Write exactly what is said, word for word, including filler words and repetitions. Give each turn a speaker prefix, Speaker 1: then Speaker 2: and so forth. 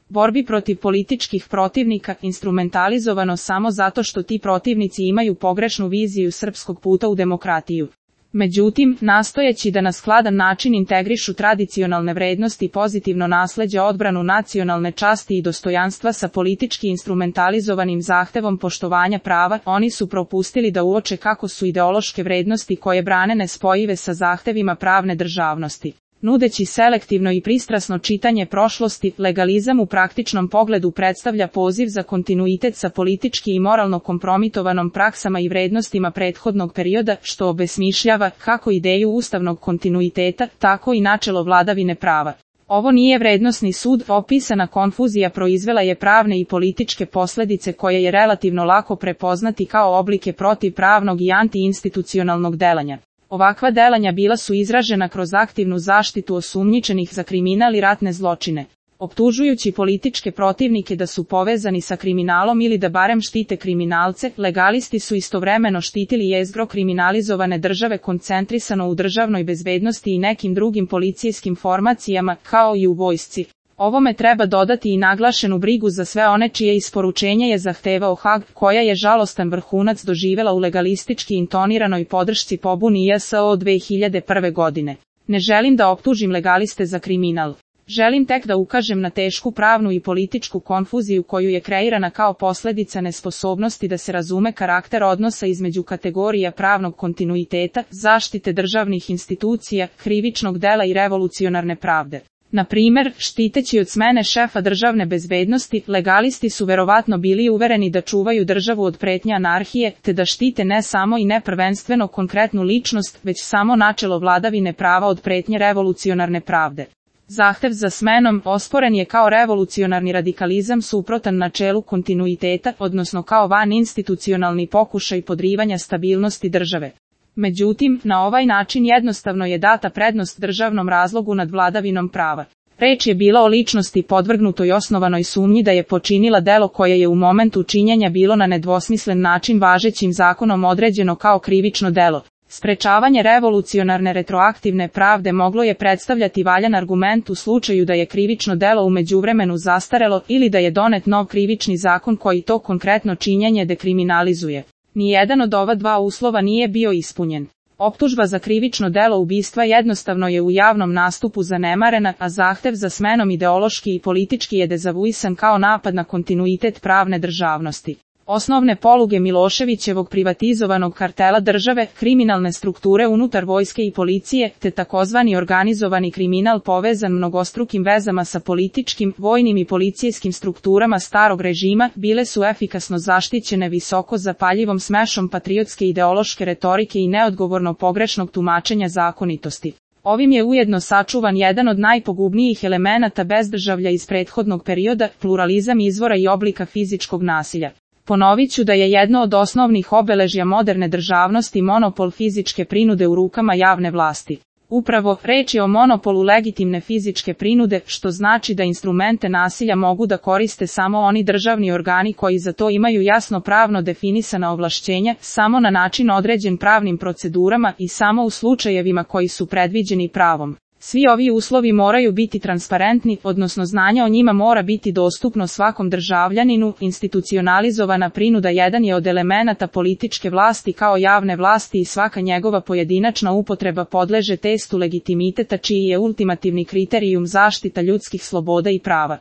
Speaker 1: borbi protiv političkih protivnika instrumentalizovano samo zato što ti protivnici imaju pogrešnu viziju srpskog puta u demokratiju. Međutim, nastojeći da na skladan način integrišu tradicionalne vrednosti i pozitivno nasleđe odbranu nacionalne časti i dostojanstva sa politički instrumentalizovanim zahtevom poštovanja prava, oni su propustili da uoče kako su ideološke vrednosti koje brane nespojive sa zahtevima pravne državnosti. Nudeći selektivno i pristrasno čitanje prošlosti, legalizam u praktičnom pogledu predstavlja poziv za kontinuitet sa politički i moralno kompromitovanom praksama i vrednostima prethodnog perioda, što obesmišljava kako ideju ustavnog kontinuiteta, tako i načelo vladavine prava. Ovo nije vrednosni sud, opisana konfuzija proizvela je pravne i političke posljedice koje je relativno lako prepoznati kao oblike protivpravnog i antiinstitucionalnog delanja. Ovakva delanja bila su izražena kroz aktivnu zaštitu osumnjičenih za kriminal i ratne zločine. Optužujući političke protivnike da su povezani sa kriminalom ili da barem štite kriminalce, legalisti su istovremeno štitili jezgro kriminalizovane države koncentrisano u državnoj bezbednosti i nekim drugim policijskim formacijama, kao i u vojsci. Ovome treba dodati i naglašenu brigu za sve one čije isporučenje je zahtevao Hag, koja je žalostan vrhunac doživjela u legalistički intoniranoj podršci pobuni J S O dve hiljade prve godine. Ne želim da optužim legaliste za kriminal. Želim tek da ukažem na tešku pravnu i političku konfuziju koju je kreirana kao posljedica nesposobnosti da se razume karakter odnosa između kategorija pravnog kontinuiteta, zaštite državnih institucija, krivičnog dela i revolucionarne pravde. Na primjer, štiteći od smene šefa državne bezbednosti, legalisti su verovatno bili uvereni da čuvaju državu od pretnje anarhije, te da štite ne samo i ne prvenstveno konkretnu ličnost, već samo načelo vladavine prava od pretnje revolucionarne pravde. Zahtev za smenom osporen je kao revolucionarni radikalizam suprotan načelu kontinuiteta, odnosno kao vaninstitucionalni pokušaj podrivanja stabilnosti države. Međutim, na ovaj način jednostavno je data prednost državnom razlogu nad vladavinom prava. Reč je bila o ličnosti podvrgnutoj osnovanoj sumnji da je počinila delo koje je u momentu činjenja bilo na nedvosmislen način važećim zakonom određeno kao krivično delo. Sprečavanje revolucionarne retroaktivne pravde moglo je predstavljati valjan argument u slučaju da je krivično delo u međuvremenu zastarelo ili da je donet nov krivični zakon koji to konkretno činjenje dekriminalizuje. Nijedan od ova dva uslova nije bio ispunjen. Optužba za krivično delo ubistva jednostavno je u javnom nastupu zanemarena, a zahtev za smenom ideološki i politički je dezavuisan kao napad na kontinuitet pravne državnosti. Osnovne poluge Miloševićevog privatizovanog kartela države, kriminalne strukture unutar vojske i policije, te takozvani organizovani kriminal povezan mnogostrukim vezama sa političkim, vojnim i policijskim strukturama starog režima, bile su efikasno zaštićene visoko zapaljivom smešom patriotske ideološke retorike i neodgovorno pogrešnog tumačenja zakonitosti. Ovim je ujedno sačuvan jedan od najpogubnijih elemenata bezdržavlja iz prethodnog perioda, pluralizam izvora i oblika fizičkog nasilja. Ponovit ću da je jedno od osnovnih obeležja moderne državnosti monopol fizičke prinude u rukama javne vlasti. Upravo, reč je o monopolu legitimne fizičke prinude, što znači da instrumente nasilja mogu da koriste samo oni državni organi koji za to imaju jasno pravno definisana ovlašćenja, samo na način određen pravnim procedurama i samo u slučajevima koji su predviđeni pravom. Svi ovi uslovi moraju biti transparentni, odnosno znanje o njima mora biti dostupno svakom državljaninu. Institucionalizovana prinuda jedan je od elemenata političke vlasti kao javne vlasti i svaka njegova pojedinačna upotreba podleže testu legitimiteta čiji je ultimativni kriterijum zaštita ljudskih sloboda i prava.